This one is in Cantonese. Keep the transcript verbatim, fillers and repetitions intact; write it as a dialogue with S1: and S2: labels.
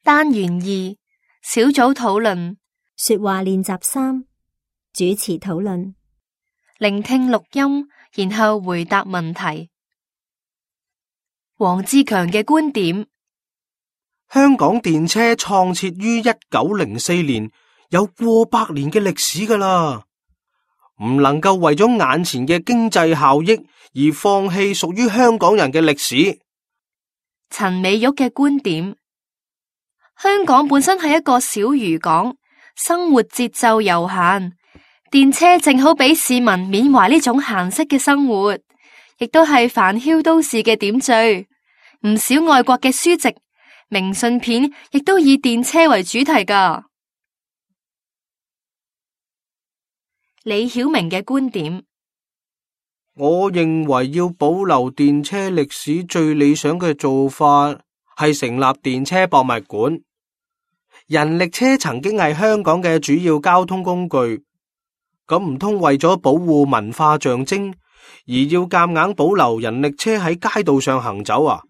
S1: 單元二小組討論，
S2: 說話練習三，主持討論，
S1: 聆聽錄音，然後回答問題。黃志強嘅觀點：
S3: 香港電車創設於一九零四年，有過百年嘅歷史㗎喇，唔能夠為咗眼前嘅經濟效益而放棄屬於香港人嘅歷史。
S1: 陳美玉嘅觀點：香港本身係一個小漁港，生活節奏悠閒，電車正好俾市民緬懷呢種閒適嘅生活，亦都係繁囂都市嘅點綴。唔少外國嘅書籍、明信片亦都以電車為主題㗎。李曉明嘅觀點：
S3: 我認為要保留電車歷史最理想嘅做法係成立電車博物館。人力車曾經係香港嘅主要交通工具，咁唔通為咗保護文化象徵而要夾硬保留人力車喺街道上行走啊？